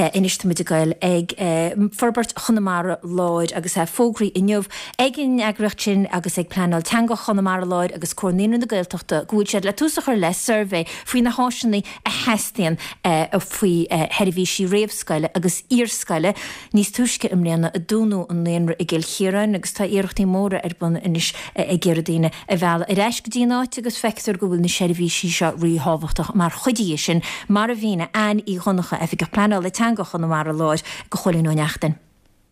Anois tá muid ag goil ag Forbairt Chonamara Láir agus é fógraithe inniu ag an eagraíocht sin agus ag Pleanáil Teanga Chonamara Láir agus Comhar Naíonraí na Gaeltachta go bhfuil siad le tús a chur le suirbhé faoi na háiseanna a theastaíonn faoi sheirbhísí réamhscoile agus iarscoile. Níos túisce i mbliana a dúnadh an naíonra i gCill Chiaráin agus tá iarrachtaí móra ar bun anois ag iarraidh daoine a mhealladh ar ais go dtí an áit agus feictear go bhfuil na seirbhísí seo ríthábhachtach mar chuid dhe sin, mar a mhínigh Anne Uí Dhonncha, Oifigeach Pleanála Teanga Chonamara Láir, do Chóilín Ó Neachtain.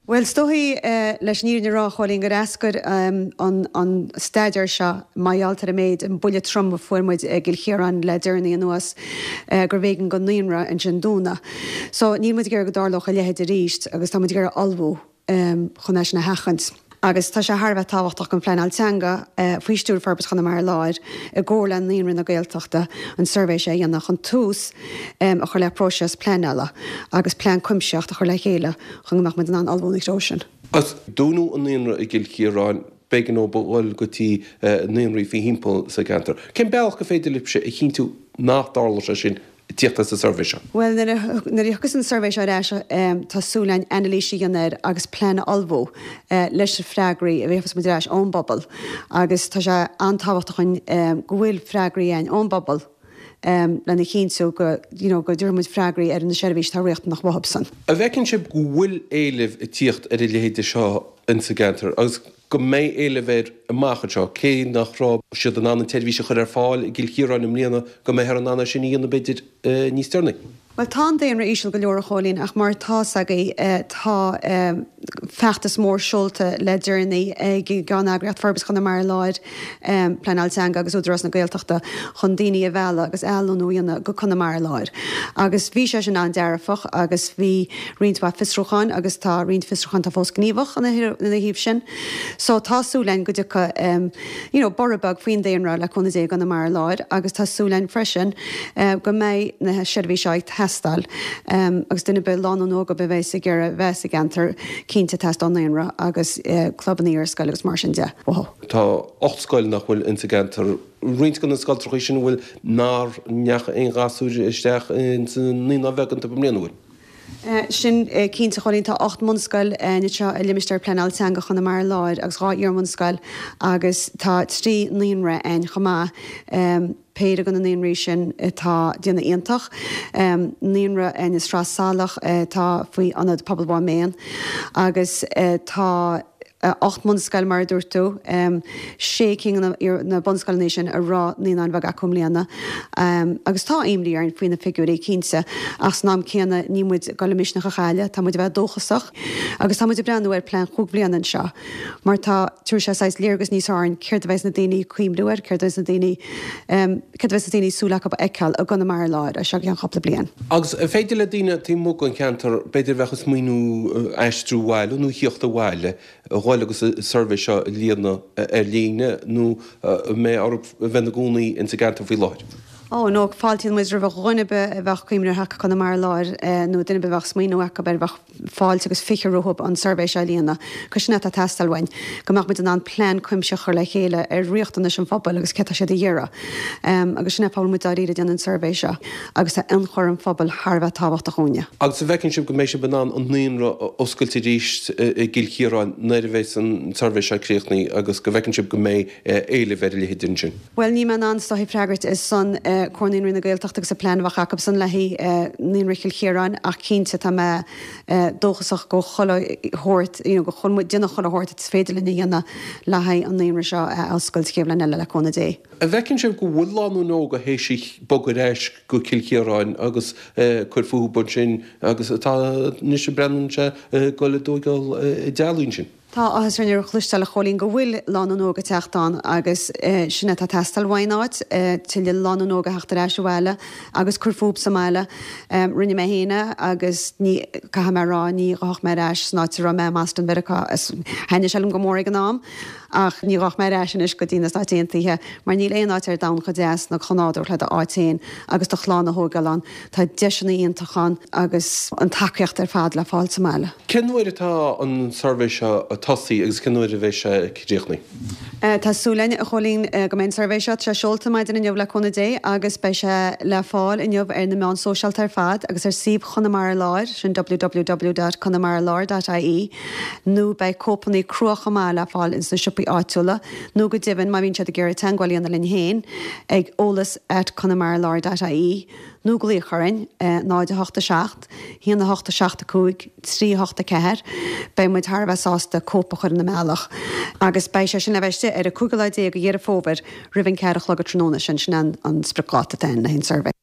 Bhuel, is dóichí, leis an fhírinne a rá, a Chóilín, gur eascair an staidéar seo mar gheall ar an méid, an buille trom a fuair muid i gCill Chiaráin le deireanaí anuas, gurbh éigean don naíonra ansin dúnadh. So, níl muid ag iarraidh go dtarlódh a leithéid arís agus tá muid ag iarraidh ullmhú chun é sin a sheachaint. Agus tá sé thar a bheith tábhachtach don phleanáil teanga, faoi stiúir Forbairt Chonamara Láir, i gcomhar le Naíonraí na Gaeltachta, an suirbhé seo a dhéanamh chun tús a chur le próiseas pleanála agus plean cuimsitheach a chur le chéile chun go mbeadh muid in ann ullmhú ina threo sin. Agus dúnadh an naíonra i gCill Chiaráin, b'éigean dóibh a dhul go dtí naíonraí faoi thimpeall sa gceantar. Cén bealach gur féidir libhse a chinntiú nach dtarlódh sé sin ag tíocht as an suirbhé seo? Bhuel, nuair a thiocfas an suirbhé seo ar ais, tá súil againn anailís a dhéanamh air agus plean a ullmhú leis na freagraí a gheobhas muid ar ais ón bpobal. Agus tá sé an-tábhachtach dhúinn go bhfuil freagraí againn ón bpobal lena chinntiú go, you know, go dtabharfaidh muid freagraí ar na seirbhísí atá riachtanach uathubsan. An bhfeiceann sibh go bhfuil éileamh ag tíocht ar a leithéide seo insa gceantar agus go mbeidh éileamh air amach anseo, cé nach raibh siad in ann an tseirbhís a chur ar fáil i gCill Chiaráin i mbliana, go mbeifear in ann é sin a dhéanamh b'fhéidir níos deireanaí. Bhuel, tá an daonra íseal go leor, a Chóilín, ach mar atá's agaibh, tá feachtas mór seolta le deireanaí ag an gceanneagraíocht Forbairt Chonamara Láir, Pleanáil Teanga agus Údarás na Gaeltachta chun daoine a mhealladh agus athlonnú a dhéanamh go Conamara Láir. Agus bhí sé sin an-dearfach agus bhí roinnt mhaith fiosrúcháin agus tá roinnt fiosrúcháin atá fós gníomhach ina thaobh sin. So tá súil againn go dtiocfaidh you know borradh beag faoin daonra le cúnamh Dé i gConamara Láir agus tá súil againn freisin go mbeidh na seirbhísí seo ag teastáil agus duine ar bith, lánúin óg ar bith a bheas ag iarraidh bheith sa gceantar, cinnte teastóidh naíonra agus clubanna iarscoile agus mar sin de uathu. Tá 8 scoil nach bhfuil insa gceantar. Roinnt de na scoltrachaí sin an bhfuil nár ndeachaigh aon ghasúir isteach insa naíonáin bheaga iontu i mbliana, an bhfuil? Sin cinnte, a Chóilín. Tá 8 mbunscoil anseo i Limistéar Pleanála Teanga Chonamara Láir agus 2 iarbhunscoil agus tá 3 naíonra ann chomh maith, péire de na naíonraí sin atá ag déanamh iontach, naíonra i Sraith Salach atá faoi Ionad Pobail Mhaigh Méan agus tá 8 mbunscoil, mar a dúirt tú, sé cinn de na bunscoileanna sin a raibh naíonáin bheaga acu i mbliana. Agus tá imní orainn faoi na figiúirí, cinnte, ach san am céanna níl muid ag dul an misneach a chailleadh, tá muid a bheith dóchasach agus tá muid ag breathnú ar plean chúig bhliana anseo mar tá, tabharfaidh sé saghas léargas níos fearr orainn céard a bheas na daoine ag cuimhniú air, céard a bheas na daoine, céard a bheas na daoine ag súil acu a fheiceáil i gConamara Láir as seo go ceann cúpla bliain. Agus an féidir le daoine taobh amuigh den cheantar, b'fhéidir a bheadh ag smaoineamh aistriú abhaile nó thíocht abhaile, a dhul agus an suirbhé seo a líonadh ar líne nó an mbeidh orthu a bheith ina gcónaí ins an gceantar faoi láthair? Ó, no, fáiltíonn muid roimh dhuine ar bith a bheadh ag cuimhneamh ar theacht go Conamara Láir nó duine ar bith a bheadh smaoineamh acu air, bheadh fáilte agus 20 rompu an suirbhé seo a líonadh. Cos sin é atá ag teastáil uainn, go mbeadh muid in ann plean cuimsitheach a chur le chéile ar riachtanais an phobail agus céard tá siad a iarraidh. Agus sin é fáth a bhfuil muid dáiríre ag déanamh an suirbhé seo agus tá ionchur an phobail thar a bheith tábhachtach dhúinne. Agus an bhfeiceann sibh go mbeidh sibh in ann an naíonra a oscailt arís i gCill Chiaráin nuair a bheas an suirbhé seo críochnaithe agus go bhfeiceann sibh go mbeidh éileamh ar a leithéid ansin? Bhuel, níl mé in ann is dóichí freagairt ar son Comhar Naíonraí na Gaeltachta agus an plean a bheadh acu-san le haghaidh Naíonra Chill Chiaráin ach cinnte tá mé dóchasach go chuile shórt, you know, go bhfuil muid déanamh chuile shórt is féidir linn a dhéanamh le haghaidh an naíonra seo a oscailt chéad bhliain eile le cúnamh Dé. An bhfeiceann sibh go bhfuil lánúin óga théis bogadh ar ais go Cill Chiaráin agus cur fúthu ansin agus atá anois ag breathnú sé ag dul i dtógáil a dteaghlaigh ansin? Tá áthas orainn a chloisteáil a Chóilín go bhfuil lánúin óg ag teacht ann agus sin é atá ag teastáil uainn áit, tuilleadh lánúin óg a theacht ar ais abhaile agus cur fúthu sa mbaile. Rinne mé féin é agus ní, caithfidh mé a rá, ní ghabhfadh mé ar ais san áit a raibh mé i mBoston Mheiriceá. Thaitnigh sé liom go mór ag an am ach ní ghabhfadh mé ar ais anois go dtí na Stáit Aontaithe mar níl aon áit ar domhan chomh deas ná chomh nádúrtha le d'áit féin agus do chlann a thógáil ann. Tá deiseanna iontacha ann agus an tacaíocht ar fad le fáil sa mbaile. Cén uair atá an suirbhé seo ag tosaí agus cén uair a bheidh sé críochnaithe? Tá súil againn, a Chóilín, go mbeidh an suirbhé seo, tá sé seolta maidin inniu le cúnamh Dé agus beidh sé le fáil inniu ar na meáin sóisialta ar fad agus ar suíomh Chonamara Láir, sin www.conamaralár.ie, nó beidh cóipeanna crua chomh maith le fáil ins na siopaí áitiúla nó go deimhin má bhíonn siad ag iarraidh teagmháil a dhéanamh linn féin ag eolas at conamaralár.ie nó glaoch orainn, 0 8 7 1 8 7 5 3 8 4. Beidh muid thar a bheith sásta cóip a chur ina mbealach. Agus beidh sé sin le bheith istigh ar an cúigiú lá déag de Dheireadh Fómhair roimh an ceathair a chlog tráthnóna sin. Sin an spriocdháta atá ann le haghaidh an suirbhé.